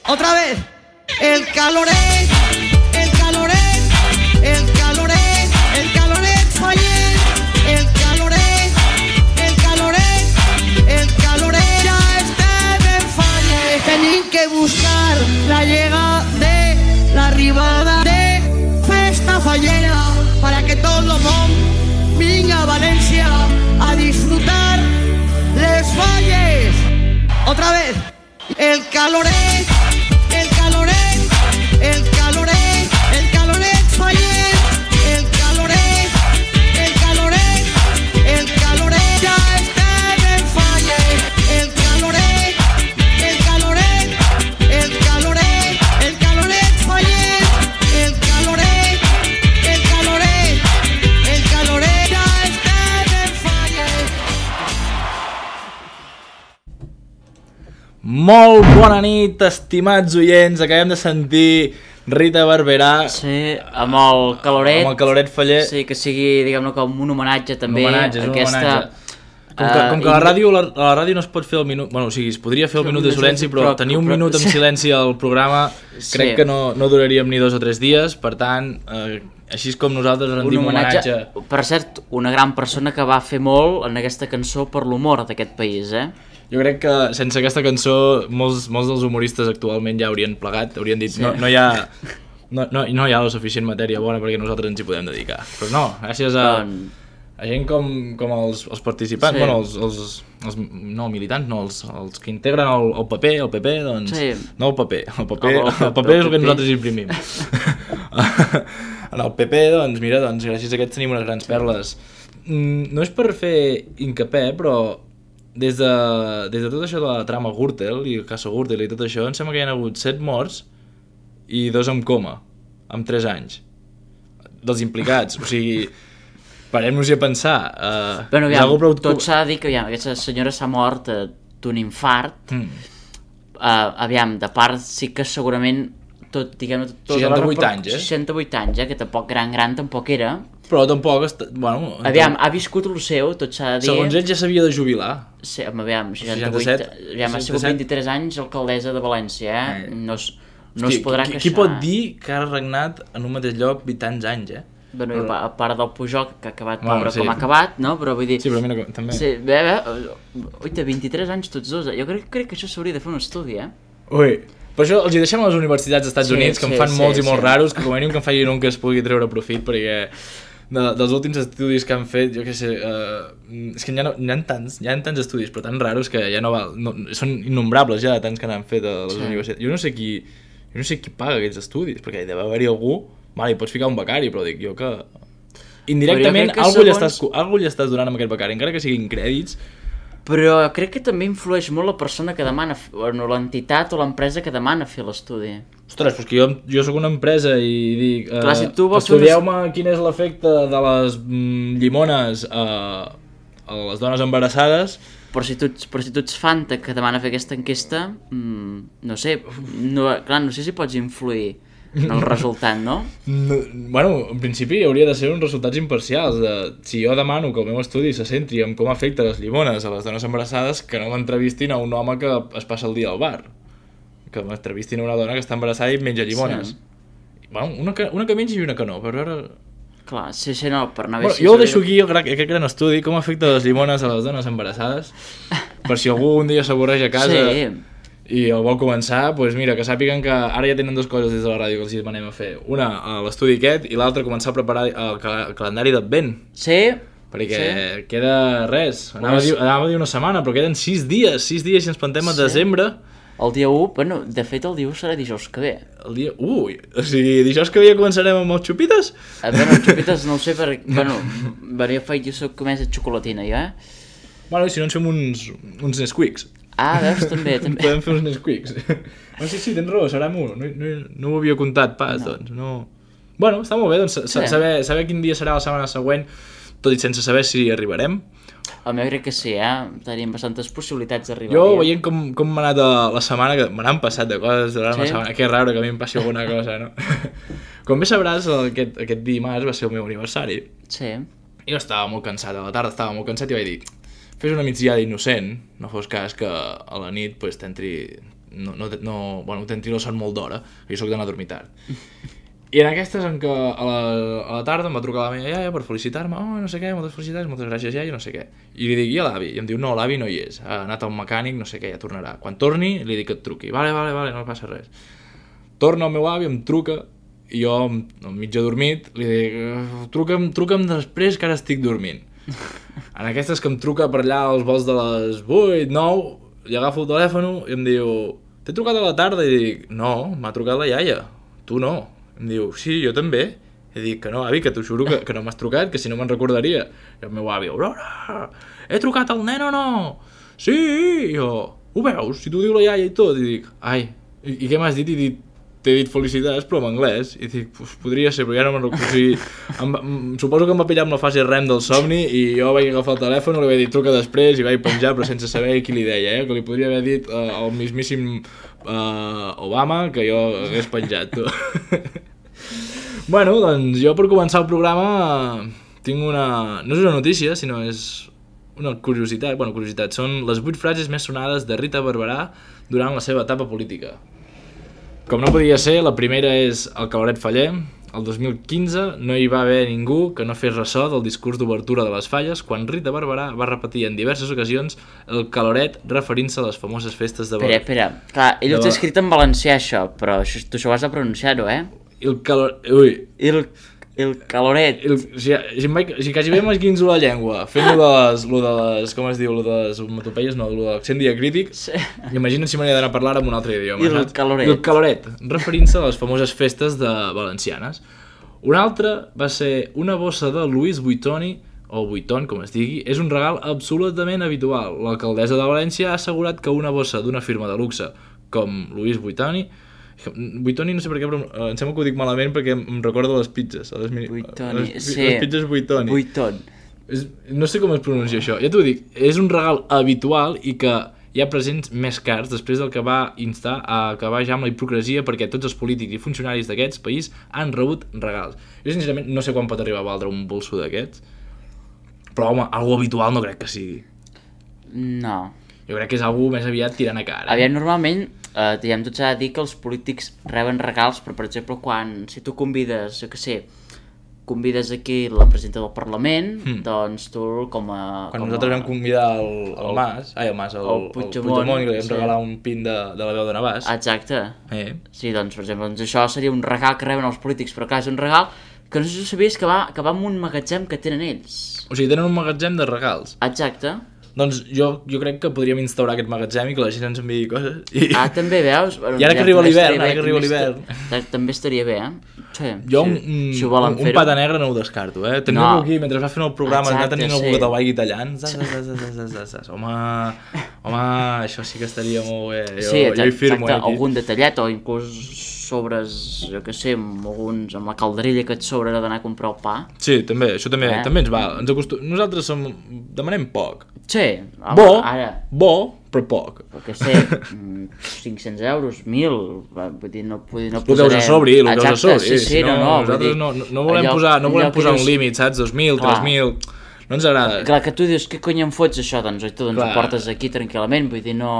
Otra vez. El caloret, el caloret, el caloret, el caloret faller, el caloret, el caloret, el caloret ja estem en faller. Tenim que buscar la llegada de l'arribada de festa fallera para que tot el món vinga a València a disfrutar les falles. Otra vez. El caloret, el caloret, el caloret, el caloret faller, el caloret, el caloret, el caloret ja estem en faller. El caloret, el caloret, el caloret, el caloret faller, el caloret, el caloret, el caloret ja estem en faller. Molt bona nit, estimats oients. Acabem de sentir Rita Barberà. Sí, amb el caloret. Amb el caloret faller. Sí, que sigui, diguem-ne, com un homenatge també. Un homenatge, és aquesta... un homenatge. Com que a la ràdio no es pot fer el minut... Bueno, o sigui, es podria fer el minut de silenci, però tenir un minut en silenci al programa crec que no duraríem ni 2 o 3 dies. Per tant, així és com nosaltres rendim homenatge. Per cert, una gran persona que va fer molt en aquesta cançó per l'humor d'aquest país, Jo crec que sense aquesta cançó molts dels humoristes actualment ja haurien plegat, haurien dit no hi ha la suficient matèria bona perquè nosaltres ens hi podem dedicar. Però no, gràcies a gent com els participants, sí. Bueno, no militants, no, els que integren el PP, doncs... Sí. No el paper és el que nosaltres imprimim. En el PP, doncs mira, gràcies a aquests tenim unes grans perles. No és per fer hincapié, però... Des de tot això de la trama Gürtel i el cas Gürtel i tot això, em sembla que hi ha hagut 7 morts i 2 amb coma, amb 3 anys, dels implicats. O sigui, parem-nos-hi a pensar. Bueno, aviam, tot s'ha de dir que aquesta senyora s'ha mort d'un infart. Aviam, de part sí que segurament tot, diguem-ne... 68 anys, 68 anys, que tampoc gran tampoc era. Però tampoc... Bueno, aviam, ha viscut el seu, tot s'ha de dir... Segons ell ja s'havia de jubilar. Sí, aviam, 68... Aviam, ha sigut 23 anys alcaldessa de València, No es podrà queixar. Qui pot dir que ha regnat en un mateix lloc 20 anys, Bueno, a part del Pujol, que ha acabat pobre com ha acabat, no? Però vull dir... Sí, però a mi també... Sí, oita, 23 anys tots dos, Jo crec que això s'hauria de fer un estudi, Ui... Per això els hi deixem a les universitats dels Estats Units, que en fan molts i molt raros, que com a mínim que en facin un que es pugui treure profit, perquè dels últims estudis que han fet, jo què sé, és que hi ha tants estudis, però tan raros que ja no val, són innombrables ja, tants que n'han fet a les universitats. Jo no sé qui paga aquests estudis, perquè deu haver-hi algú, hi pots ficar un becari, però dic jo que... Indirectament, algú li estàs donant amb aquest becari, encara que siguin crèdits. Però crec que també influeix molt la persona que demana, o l'entitat o l'empresa que demana fer l'estudi. Ostres, doncs que jo soc una empresa i dic... Clar, si tu vols estudieu-me quin és l'efecte de les llimones a les dones embarassades... Però si tu ets Fanta que demana fer aquesta enquesta, no sé si pots influir en el resultat, no? Bueno, en principi hauria de ser uns resultats imparcials. Si jo demano que el meu estudi se centri en com afecta les llimones a les dones embarassades, que no m'entrevistin a un home que es passa el dia al bar. Que m'entrevistin a una dona que està embarassada i menja llimones. Sí. Bueno, una que menja i una que no, per veure... Clar, sí, no, per anar bé... Jo ho deixo aquí, aquest gran estudi, com afecta les llimones a les dones embarassades, per si algú un dia s'avorreix a casa... Sí. I el vol començar, doncs mira, que sàpiguen que ara ja tenen 2 coses des de la ràdio que els hi demanem a fer. Una, l'estudi aquest, i l'altra, començar a preparar el calendari d'Advent. Sí. Perquè queda res. Anava a dir una setmana, però queden 6 dies si ens plantem a desembre. El dia 1, bueno, de fet el dia 1 serà dijous que ve. El dia 1? O sigui, dijous que ve ja començarem amb els xupites? Bueno, els xupites no ho sé, perquè, jo soc més de xocolatina, jo, Bueno, i si no ens fem uns Nesquiks. Ah, veus, també. Podem fer uns Nesquiks. No, sí, tens raó, serà molt. No ho havia comptat pas, doncs. No. Bueno, està molt bé, doncs, saber quin dia serà la setmana següent, tot i sense saber si arribarem. El meu crec que sí, tenim bastantes possibilitats d'arribar. Jo, veient com m'ha anat la setmana, que me n'han passat de coses durant la setmana, que raro que a mi em passi alguna cosa, no? Com bé sabràs, aquest dimarts va ser el meu aniversari. Sí. I jo estava molt cansat, a la tarda estava molt cansat i vaig dir... Fes una migdiada innocent, no fos cas que a la nit t'entri tindré el son molt d'hora, jo soc d'anar a dormir tard. I en aquestes en què a la tarda em va trucar la meva iaia per felicitar-me, no sé què, moltes felicitats, moltes gràcies iaia, no sé què. I li dic, i a l'avi? I em diu, no, l'avi no hi és, ha anat a un mecànic, no sé què, ja tornarà. Quan torni, li dic que et truqui. Vale, no passa res. Torna el meu avi, em truca, i jo, mig adormit, li dic, truca'm després que ara estic dormint. En aquestes que em truca per allà als vols de les 8, 9, li agafo el telèfon i em diu, t'he trucat a la tarda? I dic, no, m'ha trucat la iaia, tu no. Em diu, sí, jo també. I dic que no, avi, que t'ho juro que no m'has trucat, que si no me'n recordaria. I el meu avi, Aurora, he trucat al nen o no? Sí, i jo, ho veus? Si t'ho diu la iaia i tot. I dic, ai, i què m'has dit? I dic, t'he dit felicitats, però en anglès. I dic, podria ser, però ja no me'n recordo. O sigui, suposo que em va pillar amb la fase REM del somni i jo vaig agafar el telèfon, li vaig dir truca després i vaig penjar, però sense saber qui li deia, que li podria haver dit al mismíssim Obama que jo hagués penjat, tu. Bueno, doncs jo per començar el programa tinc una... no és una notícia, sinó és una curiositat. Bueno, curiositat, són les 8 frases més sonades de Rita Barberà durant la seva etapa política. Com no podia ser, la primera és el caloret faller. El 2015 no hi va haver ningú que no fes ressò del discurs d'obertura de les falles quan Rita Barberà va repetir en diverses ocasions el caloret referint-se a les famoses festes de... Espera, clar, ell ho té escrit en valencià això, però tu això ho has de pronunciar-ho, El caloret... Ui... El caloret... Si quasi bé m'esquinzo la llengua fent lo de les... Com es diu? Lo de les onomatopeies, no, lo de l'accent diacrític. Sí. Imagina't si m'hauria d'anar a parlar amb un altre idioma. El caloret. El caloret, referint-se a les famoses festes valencianes. Una altra va ser una bossa de Louis Vuitton, o Vuitton, com es digui, és un regal absolutament habitual. L'alcaldessa de València ha assegurat que una bossa d'una firma de luxe com Louis Vuitton, no sé per què, però em sembla que ho dic malament perquè em recordo les pizzas. Les pizzas Vuitton. No sé com es pronuncia això. Ja t'ho dic, és un regal habitual i que hi ha presents més cars després del que va instar a acabar ja amb la hipocresia perquè tots els polítics i funcionaris d'aquest país han rebut regals. Jo sincerament no sé quan pot arribar a valdre un bolso d'aquests, però home, algo habitual no crec que sigui. No. Jo crec que és algo més aviat tirant a cara. Aviam, normalment, diguem, tot s'ha de dir que els polítics reben regals, però per exemple, si tu convides, jo què sé, convides aquí la presidenta del Parlament, doncs tu com a... Quan nosaltres vam convidar el Puigdemont i li vam regalar un pin de la veu de Navàs. Exacte. Sí, doncs, per exemple, això seria un regal que reben els polítics, però clar, és un regal que no sé si ho sabies que va en un magatzem que tenen ells. O sigui, tenen un magatzem de regals. Exacte. Doncs jo crec que podríem instaurar aquest magatzem i que la gent ens enviï coses. També, veus? I ara que arriba l'hivern, també estaria bé, Sí, jo un pata negre no ho descarto, Tenir-lo aquí, mentre va fent el programa, anar tenint el boquet al vall i tallant. Home, això sí que estaria molt bé. Sí, exacte, algun detallet o inclús sobres, jo què sé, amb la calderilla que et sobrarà d'anar a comprar el pa. Sí, també, això també ens val. Nosaltres demanem poc. Sí. Bo, però poc. El que sé, 500 euros, 1.000, vull dir, no posarem... Ho deus a sobre, Sí, nosaltres no volem posar un límit, saps? 2.000, 3.000... No ens agrada. Clar, que tu dius, què cony em fots això? Doncs ho portes aquí tranquil·lament, vull dir, no...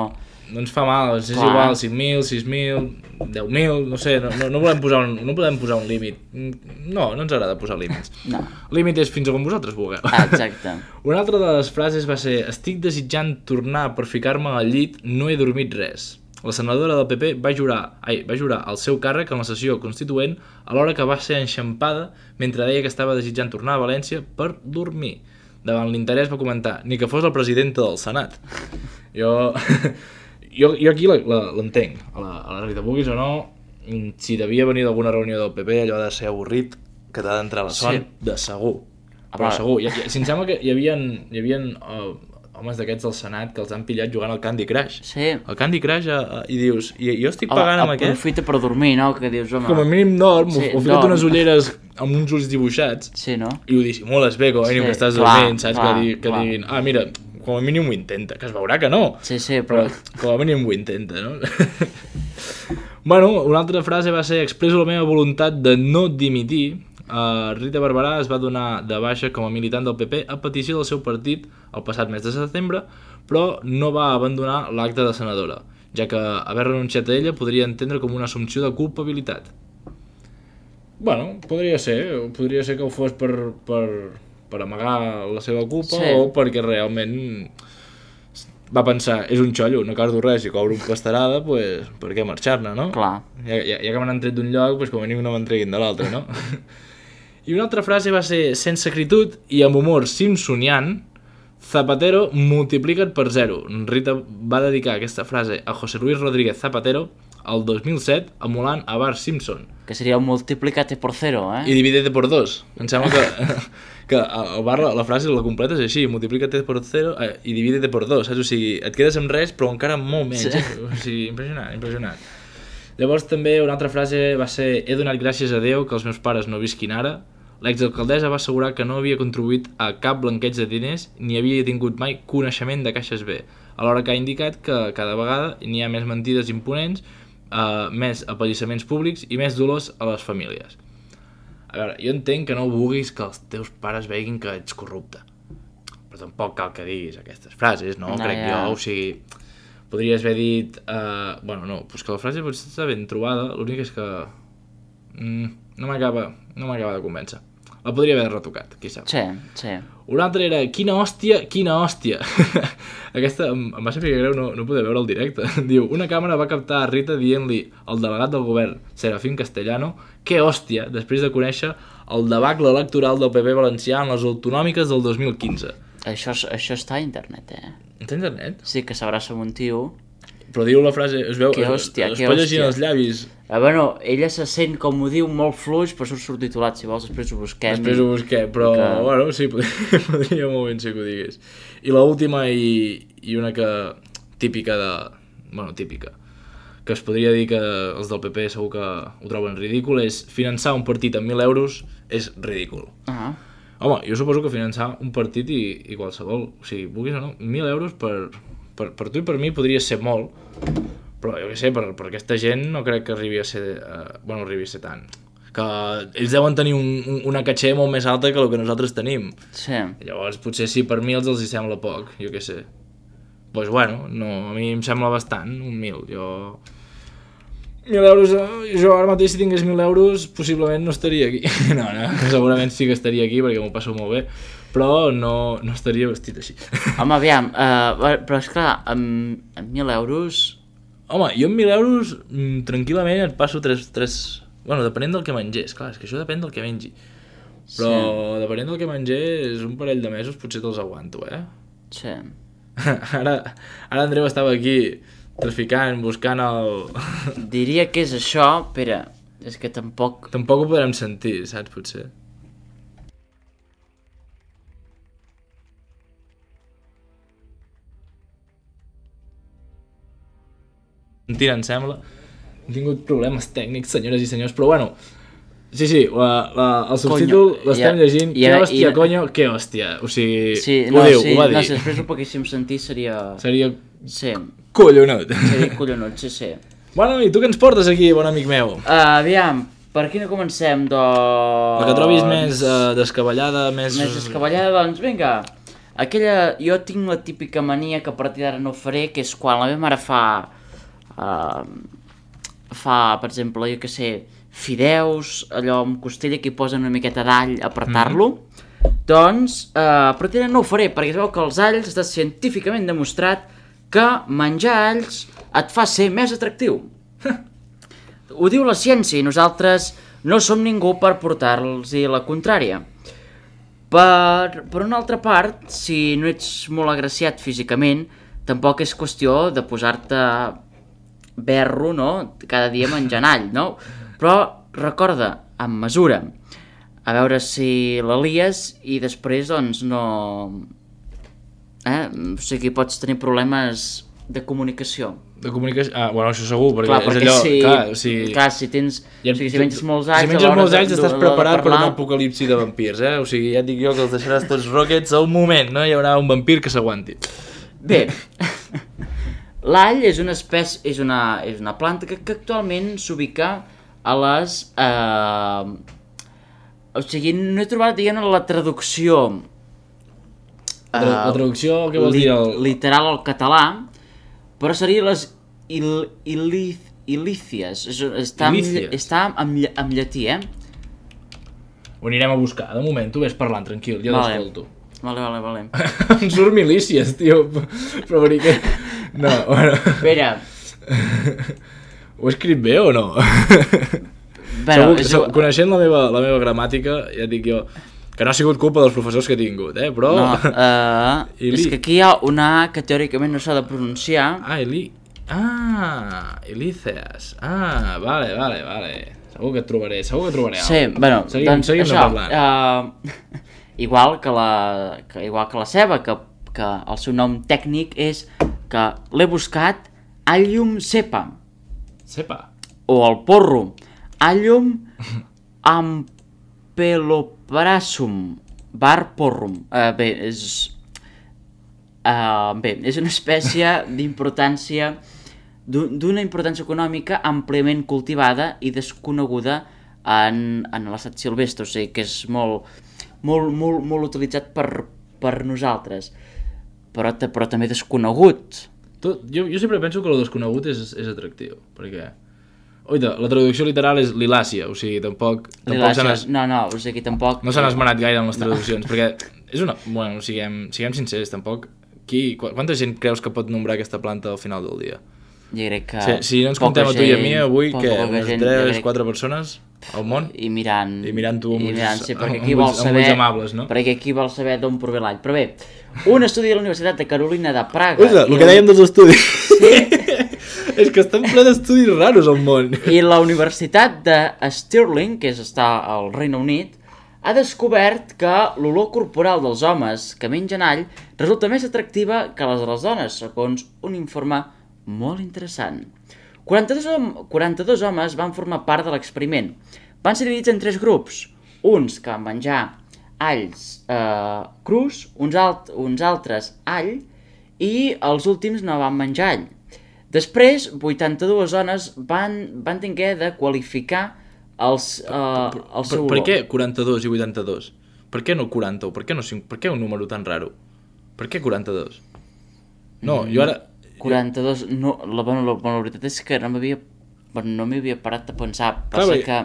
No ens fa mal, és igual, 5.000, 6.000, 10.000, no sé, no podem posar un límit. No ens agrada posar límits. No. El límit és fins a quan vosaltres vulgueu. Exacte. Una altra de les frases va ser: estic desitjant tornar per ficar-me al llit, no he dormit res. La senadora del PP va jurar el seu càrrec en la sessió constituent alhora que va ser enxampada mentre deia que estava desitjant tornar a València per dormir. Davant l'interès va comentar: ni que fos la presidenta del Senat. Jo aquí l'entenc, a la Rita, vulguis o no, si devia venir d'alguna reunió del PP, allò de ser avorrit, que t'ha d'entrar la son, de segur. Però segur, si em sembla que hi havia homes d'aquests del Senat que els han pillat jugant al Candy Crush. Sí. El Candy Crush, i dius, jo estic pagant amb aquest... Aprofita per dormir, no? Que dius, home... Com a mínim dorm, o fica't unes ulleres amb uns ulls dibuixats, sí, no? I ho dissimules bé, com a mínim que estàs dormint, saps? Que diguin, mira... Com a mínim ho intenta, que es veurà que no. Sí, però com a mínim ho intenta, no? Bueno, una altra frase va ser: expresso la meva voluntat de no dimitir. Rita Barberà es va donar de baixa com a militant del PP a petició del seu partit el passat mes de setembre, però no va abandonar l'acte de senadora. ja que haver renunciat a ella podria entendre com una assumpció de culpabilitat. Bueno, podria ser que ho fos per amagar la seva culpa o perquè realment va pensar, és un xollo, no cardo res, si cobro un pastarada, pues, per què marxar-ne, no? Clar. Ja que m'han tret d'un lloc, pues, com a mínim no m'entreguin de l'altre, no? I una altra frase va ser, sense acritud i amb humor simpsonian, Zapatero multiplica't per 0. Rita va dedicar aquesta frase a José Luis Rodríguez Zapatero el 2007 emulant a Bart Simpson. Que seria multiplicate por 0, I dividete por 2. Em sembla que el Bart la frase la completa és així, multiplicate por 0 i dividete por 2, saps? O sigui, et quedes amb res però encara molt menys. O sigui, impressionant. Llavors també una altra frase va ser, he donat gràcies a Déu que els meus pares no visquin ara. L'exalcaldessa va assegurar que no havia contribuït a cap blanqueig de diners ni havia tingut mai coneixement de caixes B, alhora que ha indicat que cada vegada n'hi ha més mentides imponents, més apallissaments públics i més dolors a les famílies. A veure, jo entenc que no vulguis que els teus pares veguin que ets corrupte, però tampoc cal que diguis aquestes frases, no? Crec jo, o sigui, podries haver dit bueno, no, doncs que la frase potser està ben trobada, l'únic és que no m'acaba de convèncer. La podria haver retocat, qui sap. Sí. Una altra era, quina hòstia. Aquesta em va ser greu no poder veure el directe. Diu, una càmera va captar a Rita dient-li al delegat del govern, Serafín Castellano, que hòstia, després de conèixer el debacle electoral del PP valencià en les autonòmiques del 2015. Això està a internet, Està a internet? Sí, que s'abraça amb un tio. Però diu la frase, es veu, es pot llegir els llavis. Bueno, ella se sent, com ho diu, molt fluix, però surt subtitulat, si vols, després ho busquem. Però, bueno, sí, podria molt ben ser que ho digués. I l'última i una que típica, que es podria dir que els del PP segur que ho troben ridícul, és finançar un partit amb 1.000 euros és ridícul. Home, jo suposo que finançar un partit i qualsevol, o sigui, vulguis o no, 1.000 euros per tu i per mi podria ser molt, però jo què sé, per aquesta gent no crec que arribi a ser tant. Que ells deuen tenir una caché molt més alta que el que nosaltres tenim. Sí. Llavors, potser sí, per mi els hi sembla poc, jo què sé. Doncs bueno, no, a mi em sembla bastant, un 1.000. 1.000 euros, jo ara mateix si tingués 1.000 euros possiblement no estaria aquí. No, segurament sí que estaria aquí perquè m'ho passo molt bé, però no estaria vestit així. Home, aviam, però esclar, amb 1.000 euros... Home, jo amb 1.000 euros tranquil·lament et passo 3... Bueno, depenent del que mengés, clar, és que això depèn del que mengi. Però depenent del que mengés, un parell de mesos potser te'ls aguanto, Sí. Ara Andreu estava aquí traficant, buscant el... Diria que és això, espera, és que tampoc... Tampoc ho podrem sentir, saps, potser. Mentira, em sembla. Hem tingut problemes tècnics, senyores i senyors, però bueno, sí, el subtítol l'estem llegint, que hòstia, conyo, que hòstia, o sigui, ho va dir. No, si després ho poguéssim sentir seria... Sí. Collonut. Seria collonut, sí. Bueno, i tu què ens portes aquí, bon amic meu? Aviam, per aquí no comencem, doncs... La que trobis més descabellada, més... Més descabellada, doncs vinga. Aquella... Jo tinc la típica mania que a partir d'ara no faré, que és quan la meva mare fa, per exemple, jo què sé, fideus, allò amb costella que hi posen una miqueta d'all a apretar-lo, doncs a partir d'ara no ho faré, perquè es veu que els alls està científicament demostrat que menjar alls et fa ser més atractiu. Ho diu la ciència i nosaltres no som ningú per portar-los la contrària. Per una altra part, si no ets molt agraciat físicament, tampoc és qüestió de posar-te berro, no?, cada dia menjant all, no? Però recorda, amb mesura, a veure si la lies i després, doncs, no... O sigui, pots tenir problemes de comunicació. De comunicació? Bueno, això segur, perquè és allò... Clar, si tens... O sigui, si menges molts alls... Si menges molts alls estàs preparat per un apocalipsi de vampirs, O sigui, ja et dic jo que els deixaràs tots rockets al moment, no? Hi haurà un vampir que s'aguanti. Bé, l'all és una espècie, és una planta que actualment s'ubica a les... O sigui, no he trobat, diguem, la traducció... La traducció, què vols dir? Literal al català, però seria les Ilícies. Està en llatí, Ho anirem a buscar. De moment, tu ves parlant, tranquil, jo t'escolto. Vale. Em surt milícies, tio. Però per què? No, bueno... Espera. Ho he escrit bé o no? Bueno, coneixent la meva gramàtica, ja et dic jo, que no ha sigut culpa dels professors que he tingut, però... No, és que aquí hi ha una A que teòricament no s'ha de pronunciar. Ilícies. Vale. Segur que et trobaré Sí, bueno, doncs això, igual que la ceba, que el seu nom tècnic és que l'he buscat Allium cepa. Cepa? O el porro. Allium ampeloprasum var porrum. Bé, és una espècie d'importància d'una importància econòmica àmpliament cultivada i desconeguda en l'estat silvestre, o sigui que és molt utilitzat per nosaltres, però també desconegut. Jo sempre penso que el desconegut és atractiu, perquè... Oita, la traducció literal és lilàcia, o sigui, tampoc o sigui, tampoc... No s'han esmenat gaire en les traduccions, perquè és una... Bueno, siguem sincers, tampoc... Quanta gent creus que pot nombrar aquesta planta al final del dia? Jo crec que... Si no ens comptem a tu i a mi, avui, què? Unes 3-4 persones al món? I mirant tu amb ulls amables, no? Perquè aquí vol saber d'on prové l'all. Però bé, un estudi de la Universitat de Carolina de Praga... Uita, el que dèiem dels estudis. Sí. És que estan ple d'estudis raros al món. I la Universitat de Stirling, que està al Regne Unit, ha descobert que l'olor corporal dels homes que mengen all resulta més atractiva que les de les dones, segons un informe molt interessant. 42 homes van formar part de l'experiment. Van ser dividits en 3 grups. Uns que van menjar alls crus, uns altres all, i els últims no van menjar all. Després, 82 dones van tenir de qualificar el seu olor. Per què 42 i 82? Per què no 40? Per què un número tan raro? Per què 42? No, jo ara... 42... No, la veritat és que no m'hi havia parat de pensar. Passa que...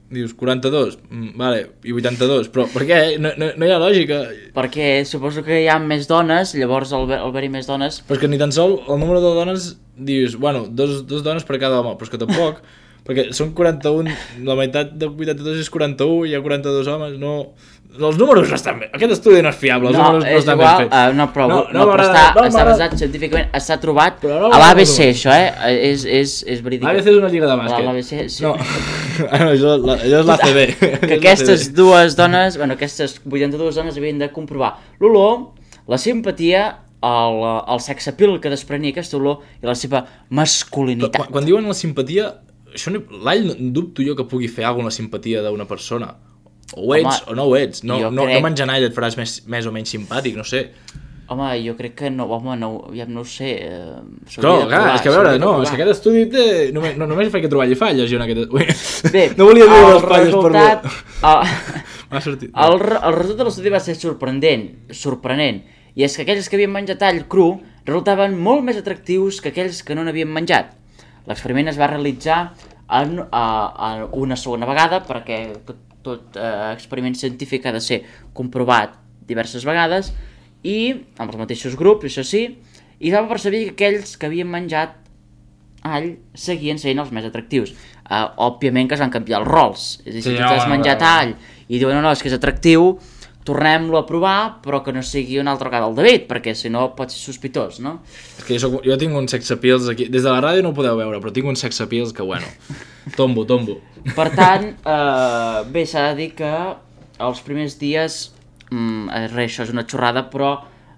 Dius 42, vale, i 82, però per què? No hi ha lògica. Perquè suposo que hi ha més dones, llavors al haver-hi més dones... Però és que ni tan sol el número de dones dius, bueno, dos dones per cada home, però és que tampoc, perquè són 41, la meitat de 82 és 41, hi ha 42 homes, no... Els números no estan bé, aquest estudi no és fiable, els números no estan ben fets. Però està basat científicament, està trobat a l'ABC, això, és verídic. L'ABC és una lliga de bàsquet. L'ABC, sí. No, allò és l'ACB. Que aquestes dues dones, aquestes 82 dones havien de comprovar l'olor, la simpatia, el sexapil que desprenia aquesta olor i la seva masculinitat. Quan diuen la simpatia, l'all dubto jo que pugui fer alguna simpatia d'una persona. O ho ets o no ho ets. No menjant all et faràs més o menys simpàtic, no sé. Home, jo crec que no, ja no ho sé. Però, clar, és que a veure, és que aquest estudi té... Només fa que trobar falles, jo en aquest... Bé, no volia dir les falles per molt. El resultat de l'estudi va ser sorprenent, i és que aquells que havien menjat all cru resultaven molt més atractius que aquells que no n'havien menjat. L'experiment es va realitzar una segona vegada, perquè tot experiment científic ha de ser comprovat diverses vegades, i amb els mateixos grups, això sí, i va percebre que aquells que havien menjat all seguien sent els més atractius. Òbviament que es van canviar els rols, és a dir, si tu t'has menjat all i diuen no, és que és atractiu, tornem-lo a provar, però que no sigui una altra vegada el David, perquè si no pot ser sospitós, no? És que jo tinc uns sexapils aquí, des de la ràdio no ho podeu veure, però tinc uns sexapils que, bueno, tombo. Per tant, bé, s'ha de dir que els primers dies, això és una xorrada, però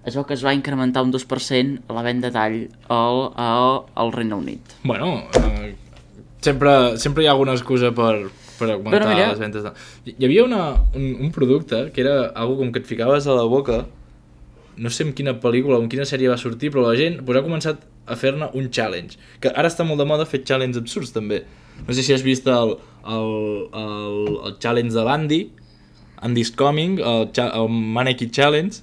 es veu que es va incrementar un 2% la venda d'all al Regne Unit. Bueno, sempre hi ha alguna excusa per augmentar les ventes. Hi havia un producte que era algo com que et ficaves a la boca, no sé en quina pel·lícula o en quina sèrie va sortir, però la gent ha començat a fer-ne un challenge, que ara està molt de moda fer challenges absurds també. No sé si has vist el challenge de l'Andy's Coming, el Mannequin Challenge,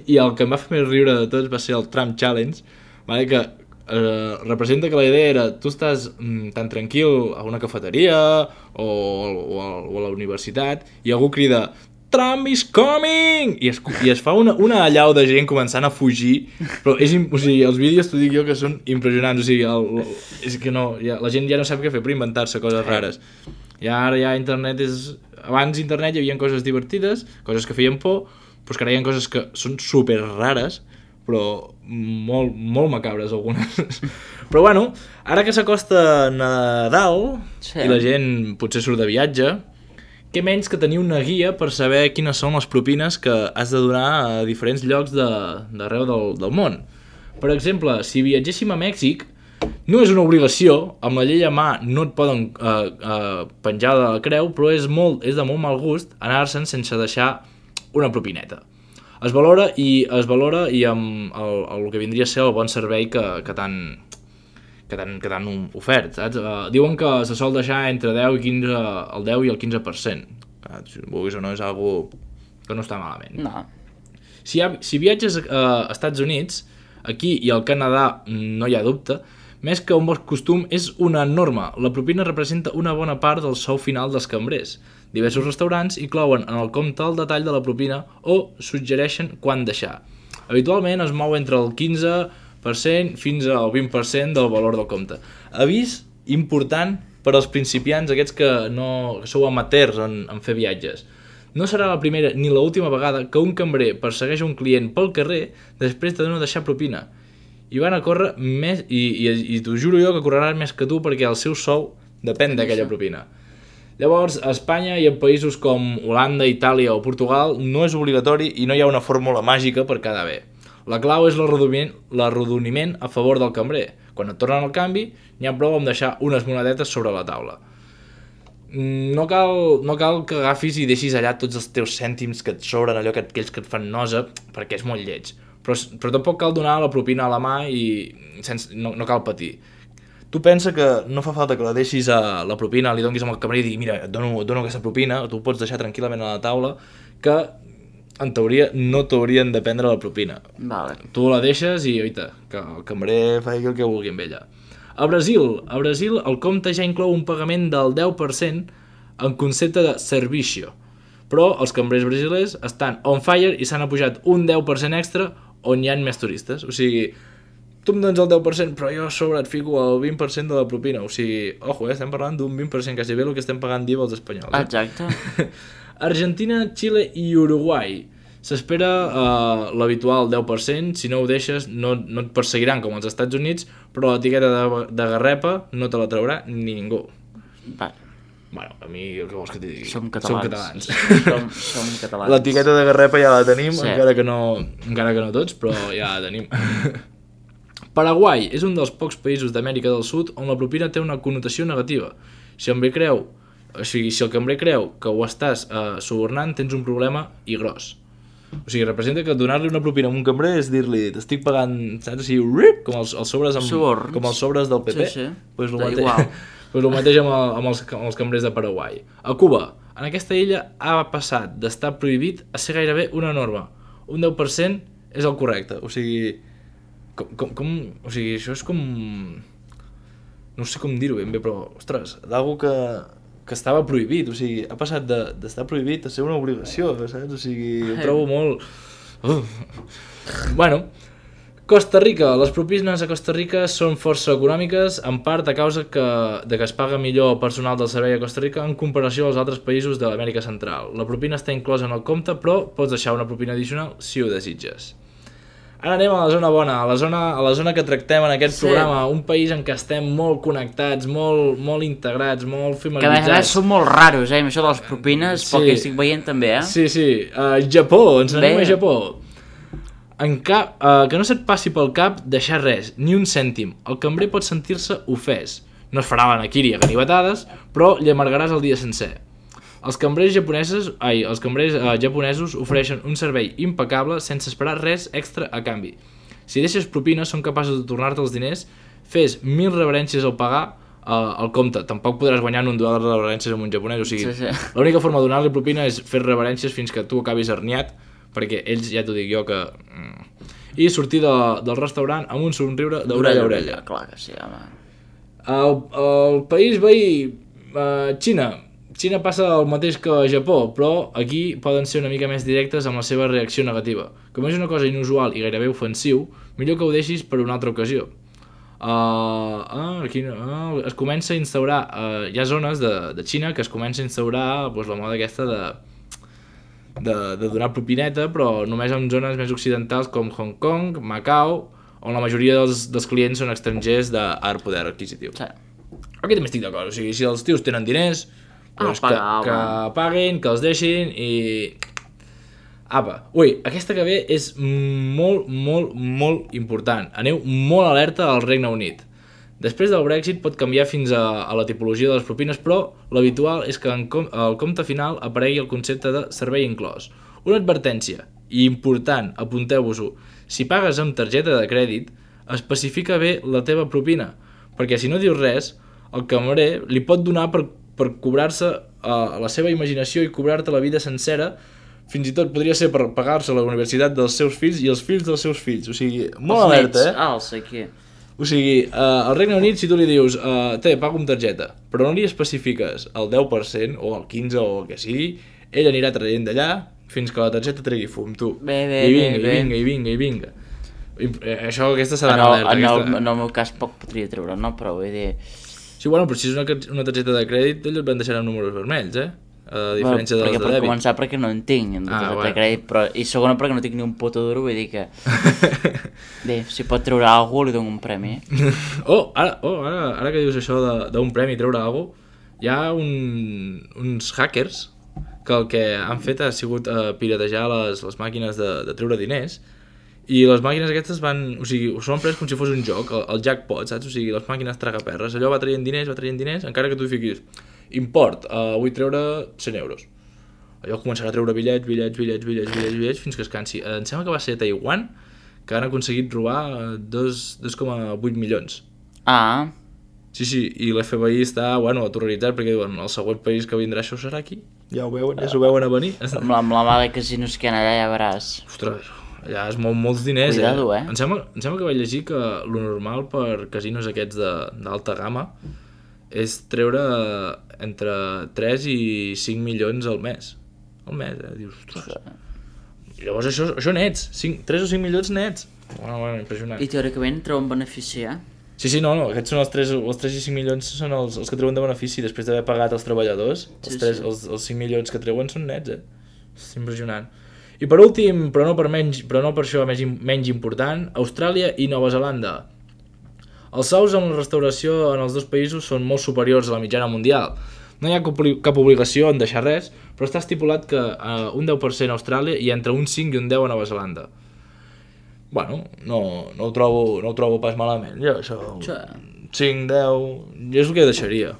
i el que em va fer més riure de tots va ser el Trump Challenge, vale? Que representa que la idea era tu estàs tan tranquil a una cafeteria o a la universitat i algú crida Trump is coming! I es fa una allau de gent començant a fugir, però o sigui, els vídeos t'ho dic jo que són impressionants, o sigui, és que no, la gent ja no sap què fer per inventar-se coses rares. Ara ja internet abans internet hi havia coses divertides, coses que feien por, però que ara hi ha coses que són super rares, però molt, molt macabres algunes. Però bueno, ara que s'acosta Nadal i la gent potser surt de viatge, què menys que tenir una guia per saber quines són les propines que has de donar a diferents llocs d'arreu del món. Per exemple, si viatgéssim a Mèxic, no és una obligació, amb la llei a mà no et poden penjar de la creu, però és de molt mal gust anar-se'n sense deixar una propineta. Es valora i amb el que vindria a ser el bon servei que t'han ofert, saps? Diuen que se sol deixar entre el 10 i el 15%. Si vulguis o no, és algo que no està malament. No. Si viatges a Estats Units, aquí i al Canadà no hi ha dubte, més que un bon costum és una norma. La propina representa una bona part del sou final dels cambrers. Diversos restaurants inclouen en el compte el detall de la propina o suggereixen quan deixar. Habitualment es mou entre el 15% fins al 20% del valor del compte. Avís important per als principiants, aquests que sou amateurs en fer viatges. No serà la primera ni l'última vegada que un cambrer persegueix un client pel carrer després de no deixar propina. I van a córrer més, i t'ho juro jo que correran més que tu perquè el seu sou depèn d'aquella propina. Llavors, a Espanya i en països com Holanda, Itàlia o Portugal no és obligatori i no hi ha una fórmula màgica per quedar bé. La clau és l'arrodoniment a favor del cambrer. Quan et tornen el canvi, n'hi ha prou amb deixar unes monedetes sobre la taula. No cal que agafis i deixis allà tots els teus cèntims que et sobren, aquells que et fan nosa, perquè és molt lleig. Però tampoc cal donar la propina a la mà i no cal patir. Tu pensa que no fa falta que la deixis a la propina, li donis amb el cambrer i digui mira, et dono aquesta propina, tu pots deixar tranquil·lament a la taula, que en teoria no t'haurien de prendre la propina. Vale. Tu la deixes i oita, que el cambrer faci el que vulgui amb ella. A Brasil el compte ja inclou un pagament del 10% en concepte de servicio, però els cambrers brasilers estan on fire i s'han apujat un 10% extra on hi ha més turistes. O sigui, tu em dones el 10%, però jo a sobre et fico el 20% de la propina. O sigui, ojo, estem parlant d'un 20%, quasi bé el que estem pagant d'IVA els espanyols. Exacte. Argentina, Xile i Uruguai. S'espera l'habitual 10%, si no ho deixes no et perseguiran com als Estats Units, però l'etiqueta de garrepa no te la traurà ningú. Bueno, a mi el que vols que t'hi digui? Som catalans. Som catalans. L'etiqueta de garrepa ja la tenim, sí. encara que no tots, però ja la tenim. Paraguai és un dels pocs països d'Amèrica del Sud on la propina té una connotació negativa. Si el cambrer creu que ho estàs subornant, tens un problema i gros. O sigui, representa que donar-li una propina a un cambrer és dir-li t'estic pagant, saps, així, com els sobres com els sobres del PP. Sí. Pues el mateix amb els cambrers de Paraguai. A Cuba, en aquesta illa ha passat d'estar prohibit a ser gairebé una norma. Un 10% és el correcte. O sigui, o sigui, això és com... No sé com dir-ho ben bé, però, ostres, d'algú que estava prohibit, o sigui, ha passat d'estar prohibit a ser una obligació, saps? O sigui, ho trobo molt... Bueno, Costa Rica. Les propines a Costa Rica són força econòmiques, en part a causa de que es paga millor el personal del servei a Costa Rica en comparació als altres països de l'Amèrica Central. La propina està inclosa en el compte, però pots deixar una propina addicional si ho desitges. Ara anem a la zona bona, a la zona que tractem en aquest programa, un país en què estem molt connectats, molt integrats, molt familiaritzats. Que a més són molt raros, amb això de les propines, pel que estic veient també, Sí, Japó, ens n'anem a Japó. Que no se't passi pel cap deixar res, ni un cèntim. El cambrer pot sentir-se ofès. No es farà l'anaquiri a ganivetades, però li amargaràs el dia sencer. Els cambrers japonesos ofereixen un servei impecable sense esperar res extra a canvi. Si deixes propina, són capaços de tornar-te els diners, fes 1000 reverències al pagar el compte. Tampoc podràs guanyar en un duel de reverències amb un japonès, o sigui, l'única forma de donar-li propina és fer reverències fins que tu acabis herniat, perquè ells, ja t'ho dic jo, que... i sortir del restaurant amb un somriure d'orella a orella. Clar que sí, home. El país veí, Xina. Xina passa el mateix que Japó, però aquí poden ser una mica més directes amb la seva reacció negativa. Com és una cosa inusual i gairebé ofensiu, millor que ho deixis per una altra ocasió. Aquí es comença a instaurar, hi ha zones de Xina que es comença a instaurar la moda aquesta de donar propineta, però només en zones més occidentals com Hong Kong, Macau, on la majoria dels clients són estrangers d'alt poder adquisitiu. Sí. Aquí també estic d'acord, o sigui, si els tios tenen diners, doncs que paguin, que els deixin i... Apa, ui, aquesta que ve és molt, molt, molt important. Aneu molt alerta al Regne Unit. Després del Brexit pot canviar fins a la tipologia de les propines, però l'habitual és que al compte final aparegui el concepte de servei inclòs. Una advertència, i important, apunteu-vos-ho, si pagues amb targeta de crèdit, especifica bé la teva propina, perquè si no dius res, el cambrer li pot donar per cobrar-se la seva imaginació i cobrar-te la vida sencera, fins i tot podria ser per pagar-se la universitat dels seus fills i els fills dels seus fills, o sigui, molt alerta, aquí. O sigui, al Regne Unit, si tu li dius pago amb targeta, però no li especifiques el 10% o el 15% o el que sigui, ell anirà traient d'allà fins que la targeta tregui fum, tu. I vinga. Això, aquesta s'ha d'anar alerta. En el meu cas poc podria treure, no? Però vull dir... Sí, bueno, però si és una targeta de crèdit, ells et van deixar amb números vermells, a diferència de les de dèbit. Per començar, perquè no en tinc, de crèdit, però, i segona, perquè no tinc ni un puto duro, vull dir que... Bé, si pot treure alguna cosa, li dono un premi. Ara que dius això d'un premi, treure alguna cosa, hi ha uns hackers que el que han fet ha sigut piratejar les màquines de treure diners, i les màquines aquestes s'ho han pres com si fos un joc, el jackpot, saps? O sigui, les màquines tragaperres, allò va traient diners, encara que tu fiquis import, vull treure 100 euros. Allò començarà a treure bitllets fins que es cansi. Em sembla que va ser a Taiwan que han aconseguit robar 2,8 milions. Ah. Sí, i l'FBI està, aterroritzat perquè diuen, el següent país que vindrà això serà aquí. Ja s'ho veuen a venir. Amb la mà de casinos que hi ha allà, ja veràs. Ostres, allà es mou molts diners. Cuidado, Em sembla que vaig llegir que lo normal per casinos aquests d'alta gamma és treure entre 3 i 5 milions al mes. Al mes, dius, ostres. Llavors això nets, 3 o 5 milions nets. Bueno, impressionant. I teòricament treuen benefici, Sí, no, aquests són els 3 i 5 milions són els que treuen de benefici després d'haver pagat els treballadors. Els 5 milions que treuen són nets, És impressionant. I per últim, però no per això menys important, Austràlia i Nova Zelanda. Els sous en la restauració en els dos països són molt superiors a la mitjana mundial. No hi ha cap obligació en deixar res, però està estipulat que un 10% a Austràlia i entre un 5 i un 10 a Nova Zelanda. Bueno, no ho trobo pas malament, jo això... 5, 10... Jo és el que deixaria.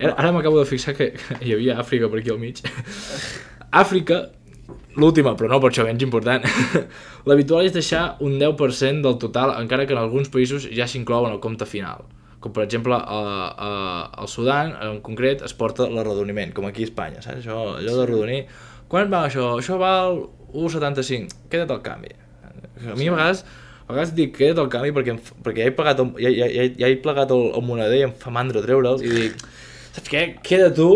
Ara m'acabo de fixar que hi havia Àfrica per aquí al mig. Àfrica, l'última, però no per això menys important, l'habitual és deixar un 10% del total, encara que en alguns països ja s'inclou en el compte final. Com per exemple al Sudan, en concret, es porta l'arrodoniment, com aquí a Espanya, saps? Allò de rodonir. Quan va això? Això val 1,75. Queda't al canvi. A mi a vegades dic queda't al canvi perquè ja he plegat el moneder i em fa mandra treure'l i dic, saps què? Queda tu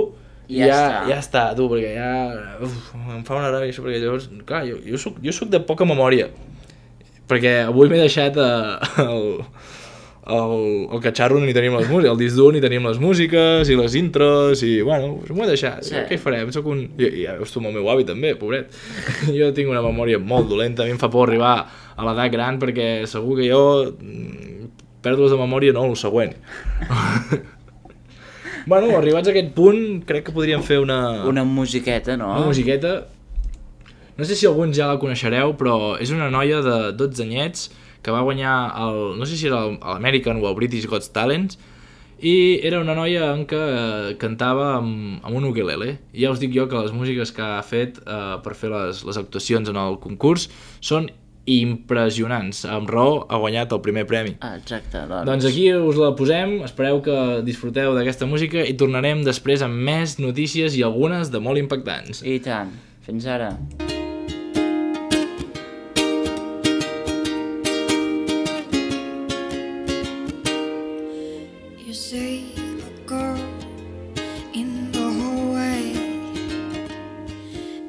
i ja està, tu, perquè ja em fa una ràbia això, perquè llavors, clar, jo soc de poca memòria, perquè avui m'he deixat el catxarro on hi tenim les músiques, el disc dur on hi tenim les músiques i les intros i, bueno, m'ho he deixat, què hi farem? Ja veus tu amb el meu avi també, pobret. Jo tinc una memòria molt dolenta, a mi em fa por arribar a l'edat gran perquè segur que jo pèrdues de memòria no, el següent. Bueno, arribats a aquest punt, crec que podríem fer una musiqueta, no? Una musiqueta. No sé si alguns ja la coneixereu, però és una noia de 12 anyets que va guanyar no sé si era l'American o el British Got Talent, i era una noia en què cantava amb un ukelele. I ja us dic jo que les músiques que ha fet per fer les actuacions en el concurs són impressionants. Amb raó ha guanyat el primer premi. Exacte. Doncs aquí us la posem, espereu que disfruteu d'aquesta música i tornarem després amb més notícies i algunes de molt impactants. I tant. Fins ara. You see a girl in the hallway,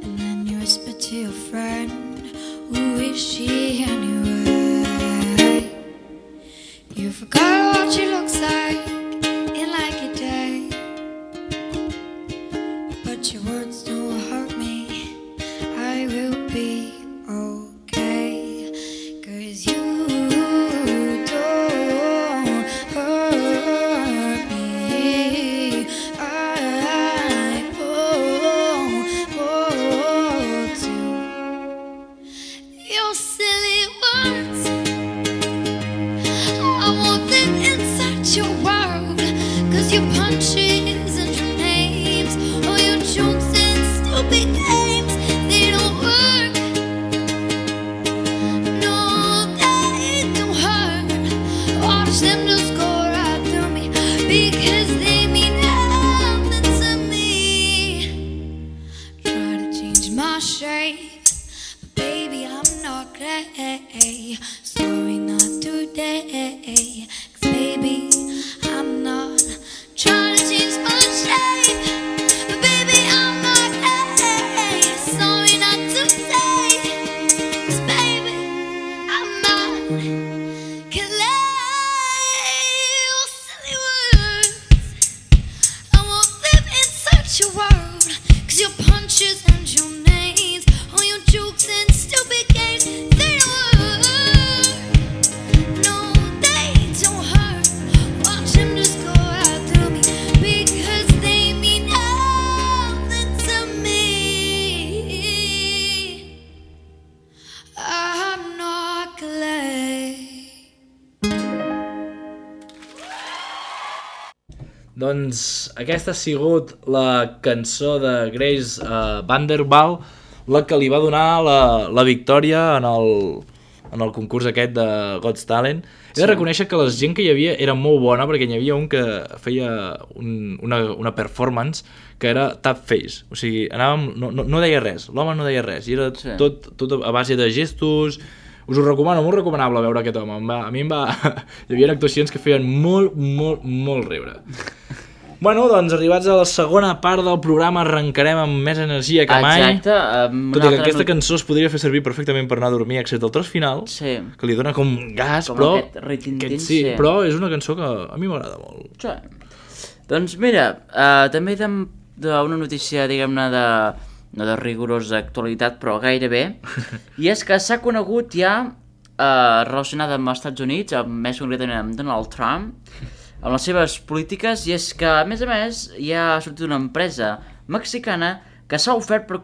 and then you whisper to your friend, who is she anyway? You forgot what she looks like in like a day, but your words don't hurt me. I will be okay, 'cause you don't hurt me. I hold to your silly words. I won't live inside your world, 'cause your punches and your names, all your jokes and stupid games, they don't work. No, they don't hurt. Watch them just go right through me, because they mean nothing to me. Try to change my shape, but baby, I'm not clay. Sorry, not today. 'Cause baby, I'm not trying to change my shape, but baby, I'm not clay. Sorry, not today. 'Cause baby, I'm not clay. Oh, silly words. I won't live inside your world, 'cause your punches and your names, all your jokes and stupid games, they don't work. No, they don't hurt. Watch them just go right through me, because they mean nothing to me. I'm not clay. Doncs aquesta ha sigut la cançó de Grace Vanderbilt, la que li va donar la victòria en el concurs aquest de God's Talent. He de reconèixer que la gent que hi havia era molt bona, perquè hi havia un que feia una performance que era tap face, o sigui, no deia res, l'home no deia res, i era tot a base de gestos. Us ho recomano, molt recomanable veure aquest home. A mi hi havia actuacions que feien molt riure. Bueno, doncs arribats a la segona part del programa arrencarem amb més energia que mai. Exacte. Tot i que aquesta cançó es podria fer servir perfectament per anar a dormir, excepte el tros final, que li dona com gas, com però... aquest ritintín, sí, però és una cançó que a mi m'agrada molt. Sí. Doncs mira, també d'una notícia, diguem-ne, no de rigorosa actualitat, però gairebé, i és que s'ha conegut ja, relacionada amb els Estats Units, més concretament amb Donald Trump, amb les seves polítiques, i és que, a més, ja ha sortit una empresa mexicana que s'ha ofert per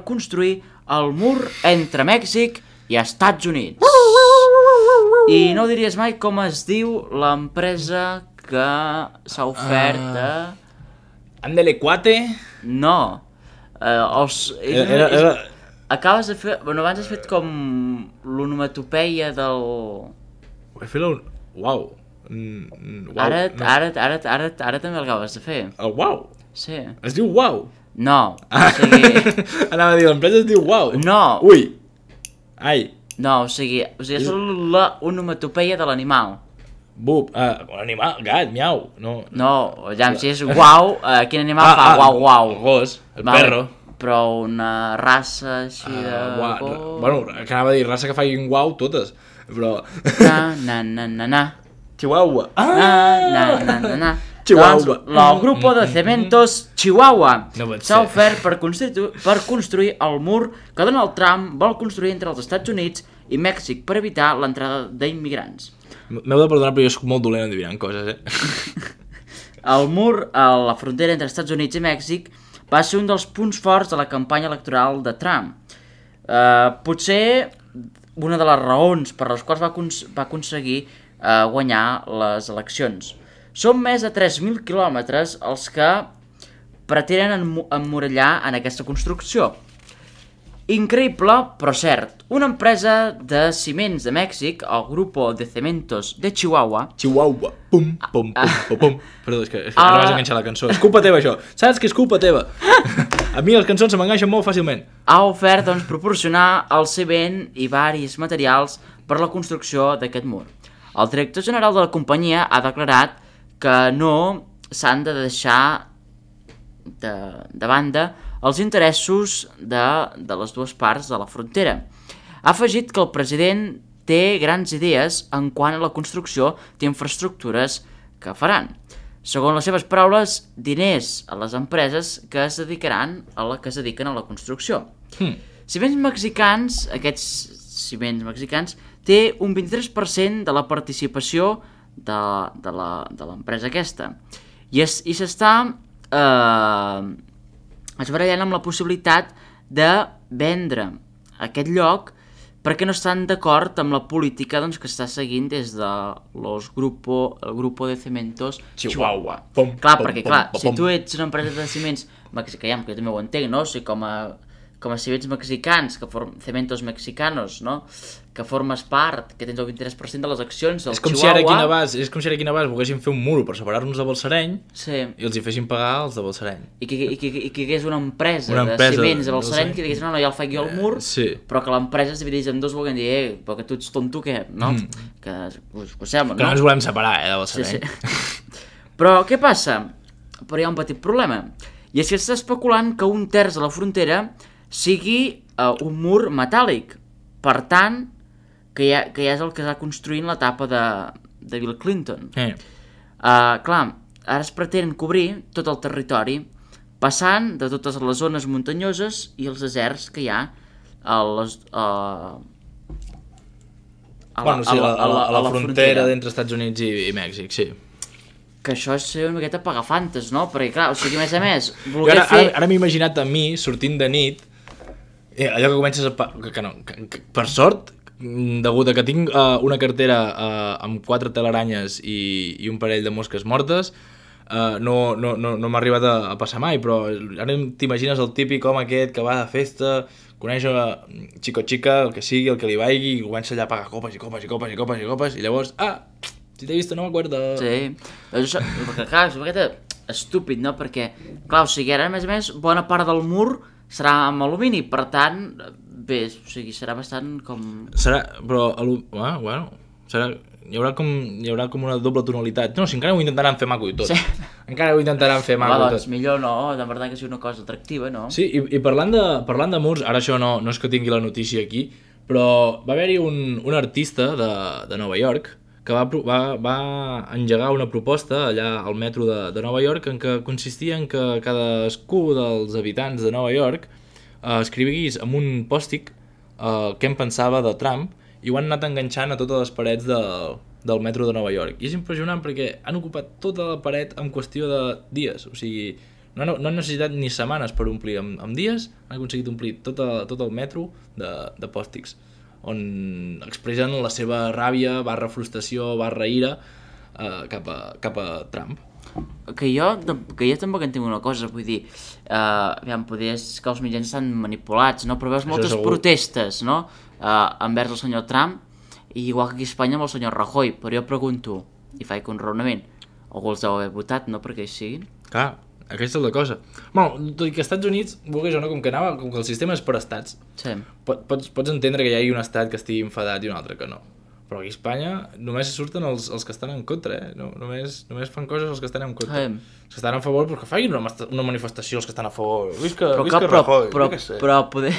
construir el mur entre Mèxic i Estats Units. I no diries mai com es diu l'empresa que s'ha ofert a... Ándele, cuate? No. Acabes de fer... Bueno, abans has fet com l'onomatopeia del... He fet el... Uau. Ara també el acabes de fer. El uau? Sí. Es diu uau? No. O sigui... Anava a dir, l'empresa es diu uau. No. Ui. Ai. No, o sigui és l'onomatopeia de l'animal. Bup, animal, gat, miau. No, ja si és uau, quin animal fa uau uau? El gos, el perro. Però una raça així de gos... Bueno, que anava a dir, raça que facin uau totes, però... Na. Chihuahua. Na. Chihuahua. Doncs el grupo de cementos Chihuahua s'ha ofert per construir el mur que Donald Trump vol construir entre els Estats Units i Mèxic per evitar l'entrada d'immigrants. M'heu de perdonar, però jo soc molt dolent endivinant coses, El mur a la frontera entre Estats Units i Mèxic va ser un dels punts forts de la campanya electoral de Trump. Potser una de les raons per les quals va aconseguir guanyar les eleccions. Són més de 3.000 quilòmetres els que pretenen emmurallar en aquesta construcció. Increïble, però cert. Una empresa de ciments de Mèxic, el Grupo de Cementos de Chihuahua... Chihuahua, pum. Perdó, és que ara vas enganxar la cançó. És culpa teva, això. Saps que és culpa teva? A mi les cançons se m'enganxen molt fàcilment. Ha ofert, doncs, proporcionar el ciment i varis materials per la construcció d'aquest mur. El director general de la companyia ha declarat que no s'han de deixar de banda els interessos de les dues parts de la frontera. Ha afegit que el president té grans idees en quant a la construcció d'infraestructures que faran. Segons les seves paraules, diners a les empreses que es dediquen a la construcció. Ciments Mexicans, aquests ciments mexicans, té un 23% de la participació de l'empresa aquesta. I s'està esbarallant amb la possibilitat de vendre aquest lloc perquè no estan d'acord amb la política que està seguint des de el Grupo de Cementos Chihuahua. Clar, si tu ets una empresa de ciments mexicans, que jo també ho entenc, no? O sigui, com a ciments mexicans, cementos mexicanos, no? Que formes part, que tens el 23% de les accions del Chihuahua. És com si ara aquí a Navàs volguessin fer un muro per separar-nos de Balsareny i els hi fessin pagar els de Balsareny. I que hi hagués una empresa de ciments de Balsareny que digués, no, ja el faig jo al mur, però que l'empresa es divideix en dos, volguem dir, però que tu ets tonto, què? No? Que us sembla, no? Que no ens volem separar, de Balsareny. Però què passa? Però hi ha un petit problema. I és que s'està especulant que 1/3 de la frontera sigui un mur metàl·lic. Per tant, que ja és el que s'ha construint l'etapa de Bill Clinton. Clar, ara es pretén cobrir tot el territori, passant de totes les zones muntanyoses i els deserts que hi ha a la frontera d'entre Estats Units i Mèxic, sí. Que això és ser una miqueta pagafantes, no? Perquè, clar, o sigui, a més, ara m'he imaginat a mi, sortint de nit, allò que comences que per sort, degut a que tinc una cartera amb 4 teleranyes i un parell de mosques mortes, no m'ha arribat a passar mai, però ara t'imagines el típic home aquest que va de festa, coneix xico-xica, el que sigui, el que li vagi, i comença allà a pagar copes i copes i copes i copes i copes, i llavors, si t'he vist no m'acuerdo. Sí, perquè clar, és una miqueta estúpid, no? Perquè, clar, o sigui, ara a més, bona part del mur serà amb alumini, per tant, bé, o sigui, serà bastant com... Però, bueno, hi haurà com una doble tonalitat. No, si encara ho intentaran fer maco i tot. Encara ho intentaran fer maco i tot. Doncs millor no, de veritat que sigui una cosa atractiva, no? Sí, i parlant de murs, ara això no és que tingui la notícia aquí, però va haver-hi un artista de Nova York que va engegar una proposta allà al metro de Nova York en què consistia en que cadascú dels habitants de Nova York escrivís amb un pòstic què en pensava de Trump, i ho han anat enganxant a totes les parets del metro de Nova York. I és impressionant perquè han ocupat tota la paret en qüestió de dies, o sigui, no han necessitat ni setmanes per omplir, amb dies han aconseguit omplir tot el metro de pòstics, on expressen la seva ràbia, frustració, ira cap a Trump. Que jo tampoc entenc una cosa, vull dir, poder és que els mitjans estan manipulats, no? Però veus moltes protestes, no?, envers el senyor Trump, i igual que aquí a Espanya amb el senyor Rajoy, però jo pregunto, i faig un raonament, algú els deu haver votat, no?, perquè hi siguin. Clar, aquesta és la cosa. Bueno, tot i que als Estats Units, vulguis o no, com que el sistema és per estats, pots entendre que hi hagi un estat que estigui enfadat i un altre que no. Però aquí a Espanya només surten els que estan en contra, només fan coses els que estan en contra. Els que estan a favor, però que facin una manifestació els que estan a favor. Visca Rajoy, però poder...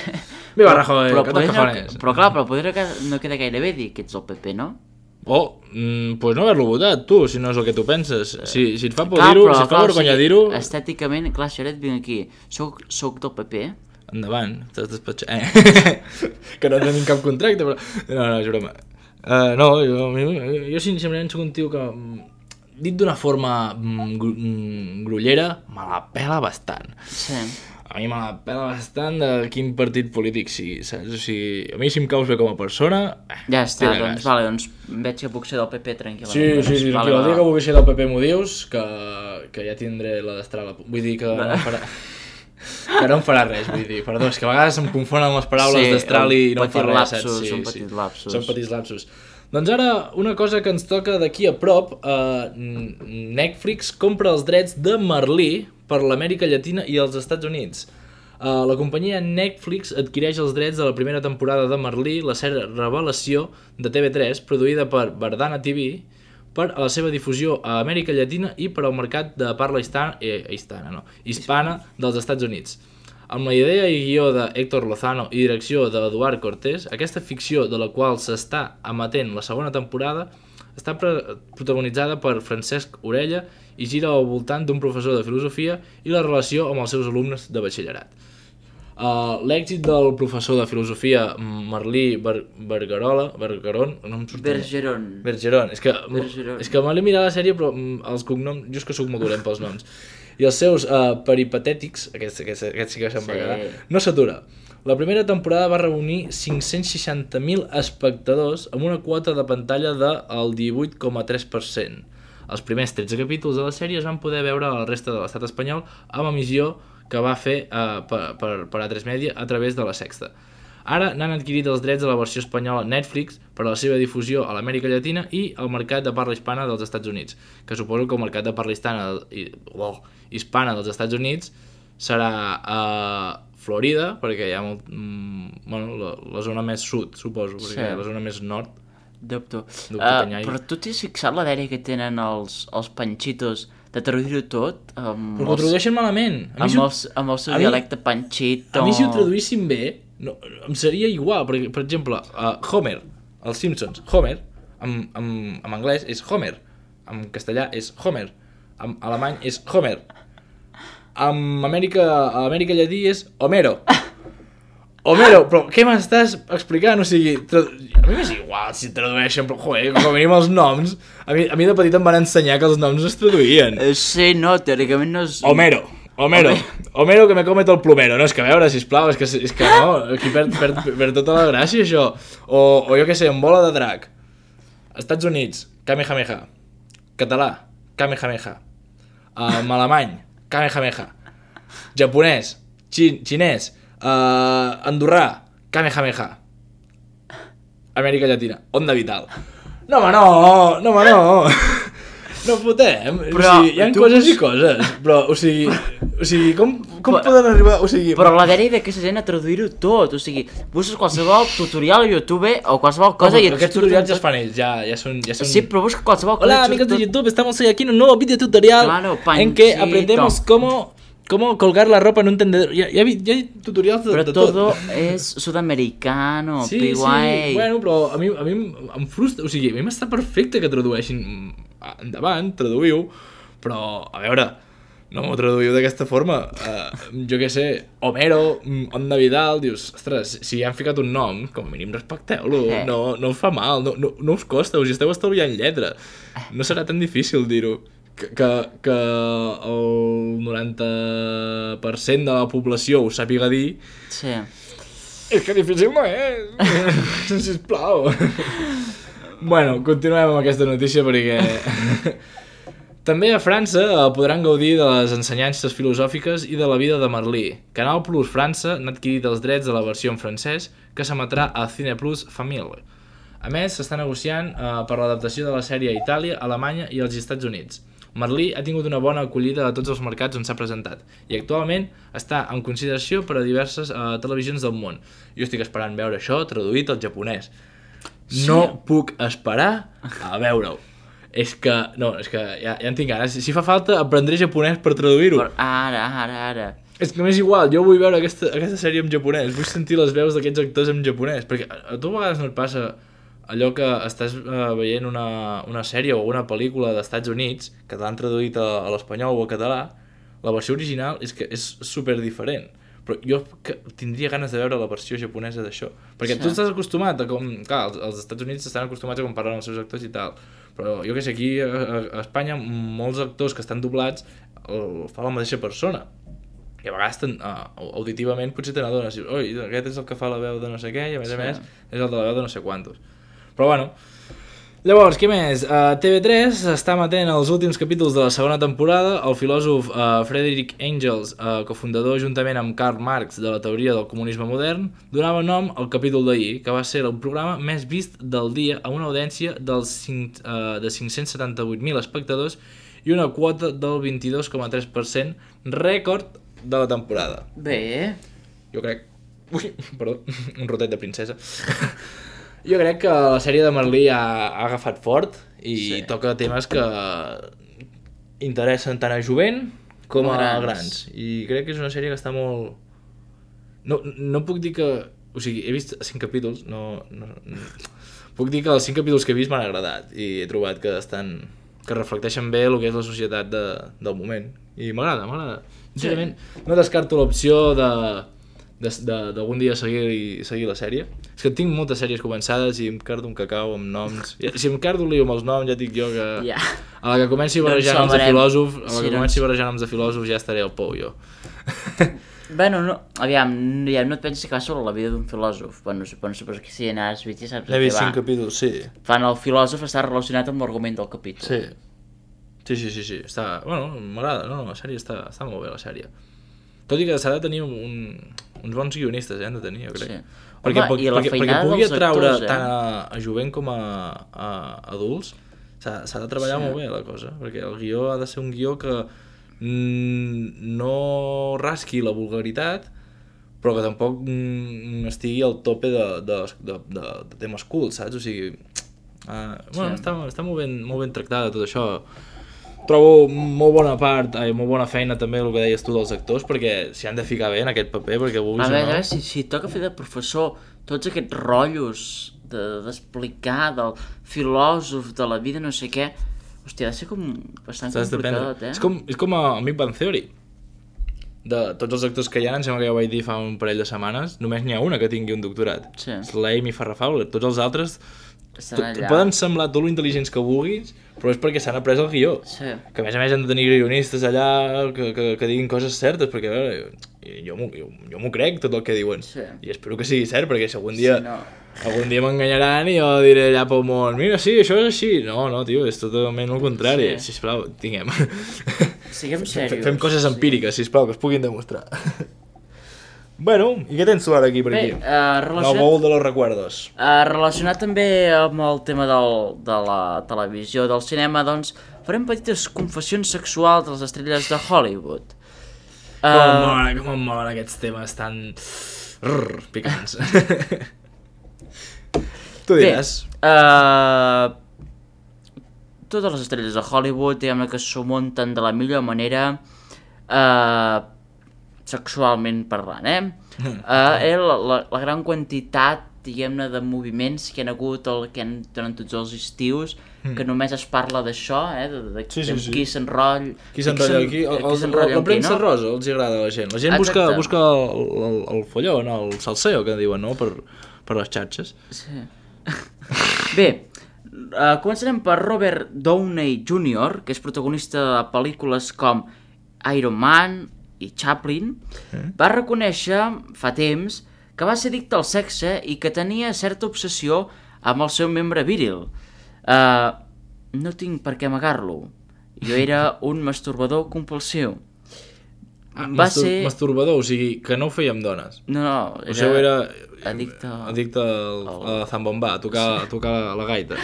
Viva Rajoy, però clar, però poder no queda gaire bé dir que ets el PP, no? Pues no haver-lo votat, tu, si no és el que tu penses. Si et fa por dir-ho, si et fa vergonya dir-ho... Estèticament, clar, Xaret, vinc aquí. Soc del PP? Endavant, t'has despatxat. Que no tenim cap contracte, però... No, és broma. Jo sincerament soc un tio que, dit d'una forma grollera, me la pela bastant. Sí. A mi me la pela bastant de quin partit polític sigui, saps? O sigui, a mi si em caus bé com a persona... Ja està, doncs veig que puc ser del PP tranquil·lament. Sí, tranquil, el dia que vulgui ser del PP m'ho dius, que ja tindré la destral. Vull dir que no em farà... Que no em farà res, vull dir, perdó, és que a vegades em confonen les paraules d'estral i no em fa res, saps? Són petits lapsus. Són petits lapsus. Doncs ara, una cosa que ens toca d'aquí a prop, Netflix compra els drets de Merlí per l'Amèrica Llatina i els Estats Units. La companyia Netflix adquireix els drets de la primera temporada de Merlí, la sèrie Revelació de TV3, produïda per Verdana TV, per a la seva difusió a Amèrica Llatina i per al mercat de parla hispana dels Estats Units. Amb la idea i guió de Héctor Lozano i direcció d'Eduard Cortés, aquesta ficció de la qual s'està emetent la segona temporada està protagonitzada per Francesc Orella i gira al voltant d'un professor de filosofia i la relació amb els seus alumnes de batxillerat. L'èxit del professor de filosofia Merlí Bergeron, no em surt Bergeron, és que me l'he mirat la sèrie però els cognoms, jo és que soc molt dolent pels noms, i els seus peripatètics, aquests sí que se'n va quedar, no s'atura. La primera temporada va reunir 560.000 espectadors amb una quota de pantalla del 18,3%. Els primers 13 capítols de la sèrie es van poder veure a la resta de l'estat espanyol amb emissió que va fer per A3 Media a través de La Sexta. Ara n'han adquirit els drets de la versió espanyola Netflix per a la seva difusió a l'Amèrica Llatina i al mercat de parla hispana dels Estats Units, que suposo que el mercat de parla hispana dels Estats Units serà a Florida, perquè hi ha la zona més sud, suposo, perquè la zona més nord. Dubto. Però tu t'has fixat la dèria que tenen els panxitos de traduir-ho tot? Però ho tradueixen malament. Amb el seu dialecte panxito. A mi si ho traduïssin bé, em seria igual. Per exemple, Homer, els Simpsons, Homer, en anglès és Homer, en castellà és Homer, en alemany és Homer, a Amèrica Llatí és Homero. Homero, però què m'estàs explicant? O sigui, a mi m'és igual si tradueixen, però joder, com a mínim els noms, a mi de petit em van ensenyar que els noms es traduïen. Sí, no, teòricament no és... Homero que me come tot el plomero. No, és que a veure, sisplau, és que no, aquí perd tota la gràcia això. O jo què sé, en bola de drac. Estats Units, Kamehameha. Català, Kamehameha. Alemany, Kamehameha. Japonès, xinès, andorrà, Kamehameha. Amèrica Llatina, Onda Vital. No, home, no. No fotem. Però, o sigui, hi ha coses i coses. Però, o sigui, com poden arribar... O sigui... Però la dèria d'aquesta gent a traduir-ho tot. O sigui, busques qualsevol tutorial a YouTube o qualsevol cosa... Però aquests tutorials ja es fan ells, ja són... Sí, però busca qualsevol cosa... Hola, amigos de YouTube, estamos hoy aquí en un nuevo video tutorial en que aprendemos cómo colgar la ropa en un tendedor. Ya hay tutorials de tot. Però todo és sudamericano, sí, bueno, però a mi em frustra... O sigui, a mi m'està perfecte que tradueixin... Endavant, traduïu, però, a veure, no m'ho traduïu d'aquesta forma. Jo què sé, Homero, Onda Vidal, dius, ostres, si ja han ficat un nom, com a mínim respecteu-lo, no us fa mal, no us costa, us esteu estalviant lletra. No serà tan difícil dir-ho. Que el 90% de la població ho sàpiga dir. Sí. És que difícil no és. Sisplau. Bueno, continuem amb aquesta notícia perquè... També a França podran gaudir de les ensenyances filosòfiques i de la vida de Merlí. Canal Plus França n'ha adquirit els drets de la versió en francès que s'emetrà a Cine Plus Famille. A més, s'està negociant per l'adaptació de la sèrie a Itàlia, Alemanya i als Estats Units. Merlí ha tingut una bona acollida a tots els mercats on s'ha presentat i actualment està en consideració per a diverses televisions del món. Jo estic esperant veure això traduït al japonès. No puc esperar a veure-ho. És que ja en tinc ganes. Si fa falta, aprendré japonès per traduir-ho. Ara. És que m'és igual, jo vull veure aquesta sèrie en japonès. Vull sentir les veus d'aquests actors en japonès. Perquè a tu a vegades no et passa allò que estàs veient una sèrie o una pel·lícula d'Estats Units que t'han traduït a l'espanyol o al català. La versió original és que és super diferent. Però jo tindria ganes de veure la versió japonesa d'això. Perquè tu estàs acostumat a com... Clar, els Estats Units estan acostumats a com parlen els seus actors i tal. Però jo què sé, aquí a Espanya molts actors que estan doblats fa la mateixa persona. I a vegades auditivament potser te n'adones. Oi, aquest és el que fa la veu de no sé què i a més és el de la veu de no sé quantos. Però bueno... Llavors, què més? TV3 està emetent els últims capítols de la segona temporada. El filòsof Frederick Engels, cofundador juntament amb Karl Marx de la teoria del comunisme modern, donava nom al capítol d'ahir, que va ser el programa més vist del dia amb una audiència de 578.000 espectadors i una quota del 22,3%, rècord de la temporada. Bé. Jo crec... Ui, perdó, un rotet de princesa. Jo crec que la sèrie de Merlí ha agafat fort i toca temes que interessen tant a jovent com a grans. I crec que és una sèrie que està molt... No puc dir que... O sigui, he vist 5 capítols, puc dir que els 5 capítols que he vist m'han agradat i he trobat que reflecteixen bé el que és la societat del moment. I m'agrada. Sincerament, no descarto l'opció d'algun dia seguir la sèrie. És que tinc moltes sèries començades i em cardo un cacau amb noms. Si em cardo lío amb els noms, ja dic jo que a la que comenci barrejant noms de filòsof ja estaré al pou jo. Bueno, aviam, no et pensis que va sobre la vida d'un filòsof. Bueno, suposo que si n'has vist ja saps N'he vist 5 capítols, sí. Fan el filòsof està relacionat amb l'argument del capítol. Sí. Està... Bueno, m'agrada, la sèrie està molt bé, la sèrie. Tot i que s'ha de tenir uns bons guionistes, han de tenir, jo crec. Sí. Perquè pugui atraure actors, tant a jovent com a adults, s'ha de treballar molt bé la cosa, perquè el guió ha de ser un guió que no rasqui la vulgaritat, però que tampoc estigui al tope de temes cults, saps? O sigui, està molt ben tractada tot això. Trobo molt bona feina també el que deies tu dels actors, perquè s'hi han de ficar bé en aquest paper, perquè vulguis o no. A veure, si toca fer de professor tots aquests rotllos d'explicar del filòsof, de la vida, no sé què, hòstia, ha de ser com bastant complicat, És com a Big Bang Theory. De tots els actors que hi ha, em sembla que ja ho vaig dir fa un parell de setmanes, només n'hi ha una que tingui un doctorat. És l'Amy Farrah Fowler. Tots els altres poden semblar tot lo intel·ligents que vulguis, però és perquè s'han après el guió. Que a més han de tenir guionistes allà que diguin coses certes, perquè a veure, jo m'ho crec tot el que diuen. I espero que sigui cert, perquè si algun dia m'enganyaran i jo diré allà pel món, mira, sí, això és així. No, tio, és totalment el contrari. Sisplau, tinguem. Siguem serios. Fem coses empíriques, sisplau, que es puguin demostrar. Bueno, i què tens tu ara aquí per aquí? El baúl de los recuerdos. Relacionat també amb el tema de la televisió, del cinema, doncs farem petites confessions sexuals de les estrelles de Hollywood. Com em molen aquests temes tan picants. Tu diràs. Totes les estrelles de Hollywood, diguem-ne que s'ho munten de la millor manera, sexualment parlant, la gran quantitat, diguem-ne, de moviments que han hagut durant tots els estius, que només es parla d'això, de qui s'enrotlla aquí, la premsa rosa els agrada a la gent. La gent busca el follon, el salseo, que diuen, no?, per les xarxes. Bé, començarem per Robert Downey Jr., que és protagonista de pel·lícules com Iron Man i Chaplin. Va reconèixer fa temps que va ser addicte al sexe i que tenia certa obsessió amb el seu membre viril. No tinc per què amagar-lo. Jo era un masturbador compulsiu. Masturbador, o sigui, que no ho feia amb dones. No, era addicte a la zambomba, a tocar la gaita.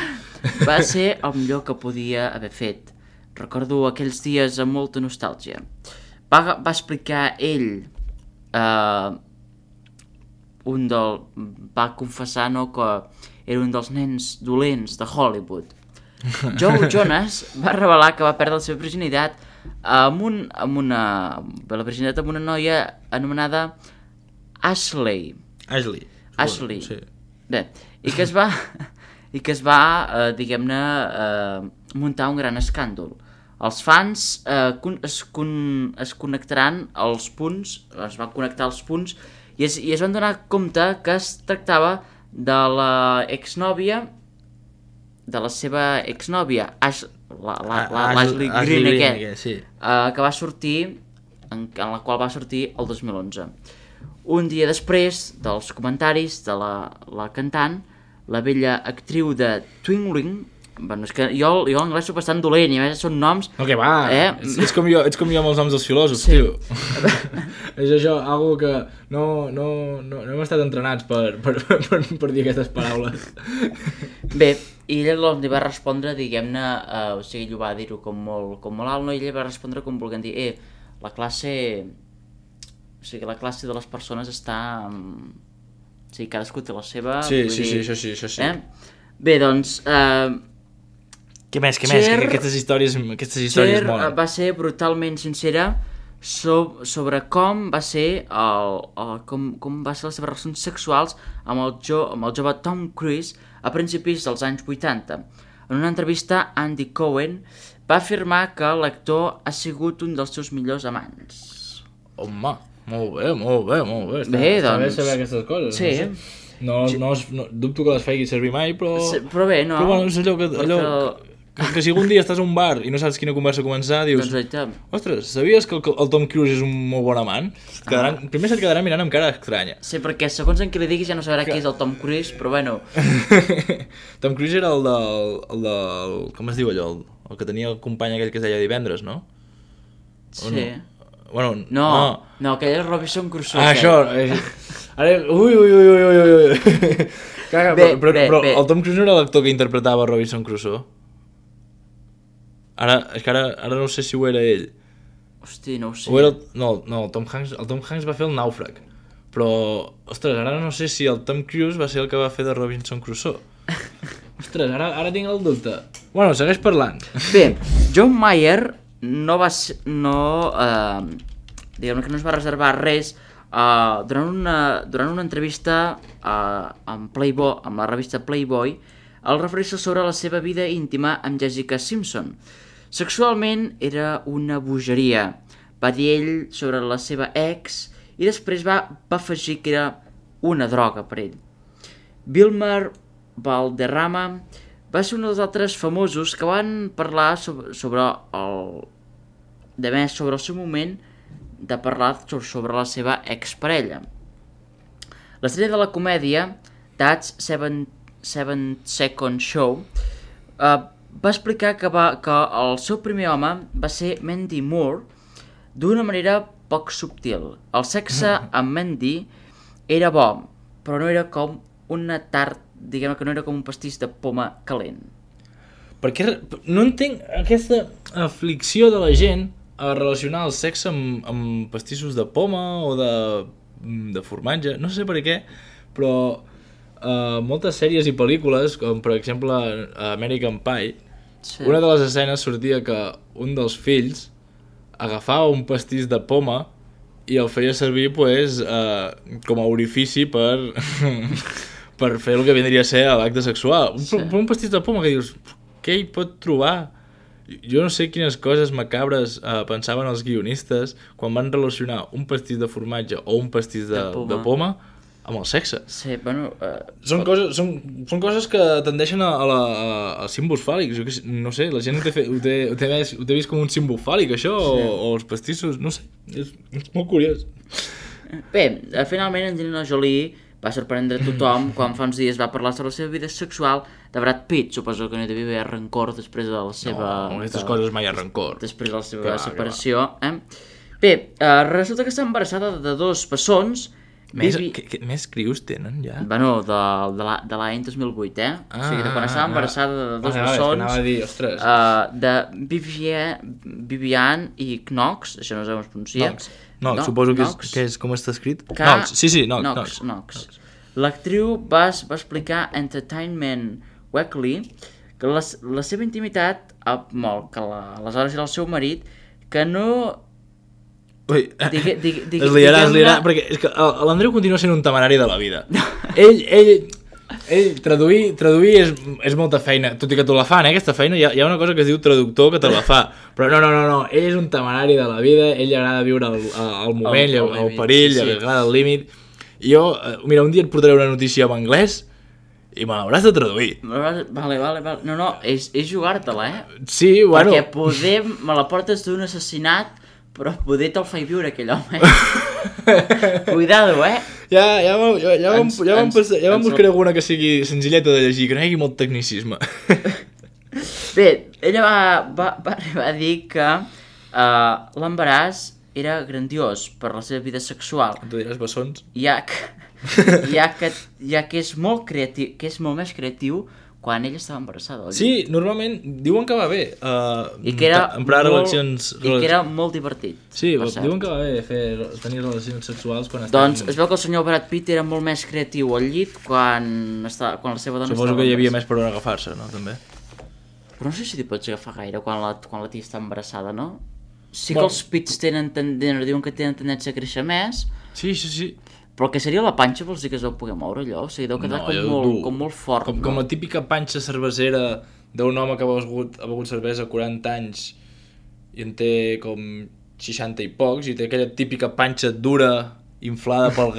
Va ser el millor que podia haver fet. Recordo aquells dies amb molta nostàlgia. Va explicar ell, va confessar que era un dels nens dolents de Hollywood. Joe Jonas va revelar que va perdre la seva virginitat amb una noia anomenada Ashley. Sí. Bé, i que es va diguem-ne, muntar un gran escàndol. Els fans es connectaran als punts, es van connectar als punts i es van donar compte que es tractava de la seva exnòvia, l'Ashley Greene, que va sortir, en la qual va sortir el 2011. Un dia després dels comentaris de la cantant, la vella actriu de Twinkling, bueno, és que jo l'anglès soc bastant dolent i a més són noms... No, que va, ets com jo amb els noms dels filòsofs, tio. És això, algo que no hem estat entrenats per dir aquestes paraules. Bé, i ella li va respondre, diguem-ne, o sigui, ell va dir-ho com molt alt, no? I ella va respondre com volent dir, la classe de les persones està O sigui, cadascú té la seva... Sí, vull sí, dir, això sí. Bé, doncs... Què més? Cher- Que aquestes històries Cher molen. va ser brutalment sincera sobre com va ser com va ser les seves relacions sexuals amb el jove Tom Cruise a principis dels anys 80. En una entrevista, Andy Cohen va afirmar que l'actor ha sigut un dels seus millors amants. Home, molt bé. Està Bé, bé doncs, saber aquestes coses. sí. No dubto que les faci servir mai, però... Però bé, no? Però bueno, és allò que si algun dia estàs a un bar i no saps quina conversa començar, dius... Doncs oita, Ostres, sabies que el Tom Cruise és un molt bon amant? Primer se't quedarà mirant amb cara estranya. sí, perquè segons en qui li diguis ja no sabrà qui és el Tom Cruise, però bueno... Tom Cruise era el del... Com es diu allò? El que tenia el company aquell que es deia Divendres, no? O Sí. Bueno, No, aquell és Robinson Crusoe. Ah, això... Ara... Ui. Caga, Bé, però bé. el Tom Cruise no era l'actor que interpretava Robinson Crusoe? És que ara no sé si ho era ell. Hosti, no ho sé. O era el Tom Hanks va fer el Nàufrag. Però, ostres, ara no sé si el Tom Cruise va ser el que va fer de Robinson Crusoe. Ostres, ara tinc el dubte. Bueno, segueix parlant. Bé, John Mayer diguem que no es va reservar res durant una entrevista amb la revista Playboy al referir-se sobre la seva vida íntima amb Jessica Simpson. Sexualment era una bogeria, va dir ell sobre la seva ex, i després va afegir que era una droga per ell. Wilmer Valderrama va ser un dels altres famosos que van parlar sobre el seu moment de parlar sobre la seva exparella. L'estrella de la comèdia, That's 7 Second Show, va explicar que el seu primer home va ser Mandy Moore d'una manera poc subtil. El sexe amb Mandy era bo, però no era com una tart, diguem que no era com un pastís de poma calent. Perquè no entenc aquesta aflicció de la gent a relacionar el sexe amb pastissos de poma o de formatge, no sé per què, però moltes sèries i pel·lícules, com per exemple American Pie, Sí. una de les escenes sortia que un dels fills agafava un pastís de poma i el feia servir com a orifici per fer el que vindria a ser l'acte sexual. Un pastís de poma que dius, què hi pot trobar? Jo no sé quines coses macabres pensaven els guionistes quan van relacionar un pastís de formatge o un pastís de poma amb el sexe. Sí, bueno... Són coses que tendeixen a símbols fàl·lics. Jo no sé, la gent ho té vist com un símbol fàl·lic, això, sí. o els pastissos, no sé, és molt curiós. Bé, finalment Angelina Jolie va sorprendre tothom quan fa uns dies va parlar sobre la seva vida sexual de Brad Pitt. Suposo que no hi devia haver rancor després de la seva... No, aquestes coses mai hi ha rancor. Després de la seva separació. Bé, resulta que està embarassada de 2 bessons. Més crius tenen, ja? Bueno, de l'any 2008, o sigui, de quan estava embarassada de 2 bessons. Anava a dir, ostres. De Vivian i Knox, això no sé com es pronuncia. Knox, suposo que és com està escrit. Knox, sí, Knox. L'actriu va explicar a Entertainment Weekly que la seva intimitat, que aleshores era el seu marit, que no... Ui, es liarà, perquè és que l'Andreu continua sent un temerari de la vida. Ell traduir és molta feina, tot i que te la fan, aquesta feina, hi ha una cosa que es diu traductor que te la fa, però no, ell és un temerari de la vida, ell li agrada viure el moment, el perill, li agrada el límit. Jo, mira, un dia et portaré una notícia en anglès i me l'hauràs de traduir. Vale. No, és jugar-te-la, Sí, bueno. Perquè poder me la portes d'un assassinat, però poder te'l faig viure aquell home. Cuidado, Ja vam buscar alguna que sigui senzilleta de llegir, que no hi hagi molt tecnicisme. Bé, ella va arribar a dir que l'embaràs era grandiós per la seva vida sexual. Tu diràs bessons. Ja que és molt creatiu, que és molt més creatiu quan ella estava embarassada. Sí, normalment diuen que va bé I que era emprar molt, relacions... I que era molt divertit. Sí, diuen que va bé tenir relacions sexuals quan Doncs es veu que el senyor Brad Pitt era molt més creatiu al llit quan la seva dona estava embarassada. Suposo que hi havia més per on agafar-se, no? També. Però no sé si t'hi pots agafar gaire quan la tia està embarassada, no? Sí que els pits diuen que tenen tendència a créixer més. Sí. Però el que seria la panxa vols dir que es deu poder moure allò? O sigui, deu quedar com molt fort. Com la típica panxa cervesera d'un home que ha begut cervesa 40 anys i en té com 60 i pocs i té aquella típica panxa dura inflada pel gas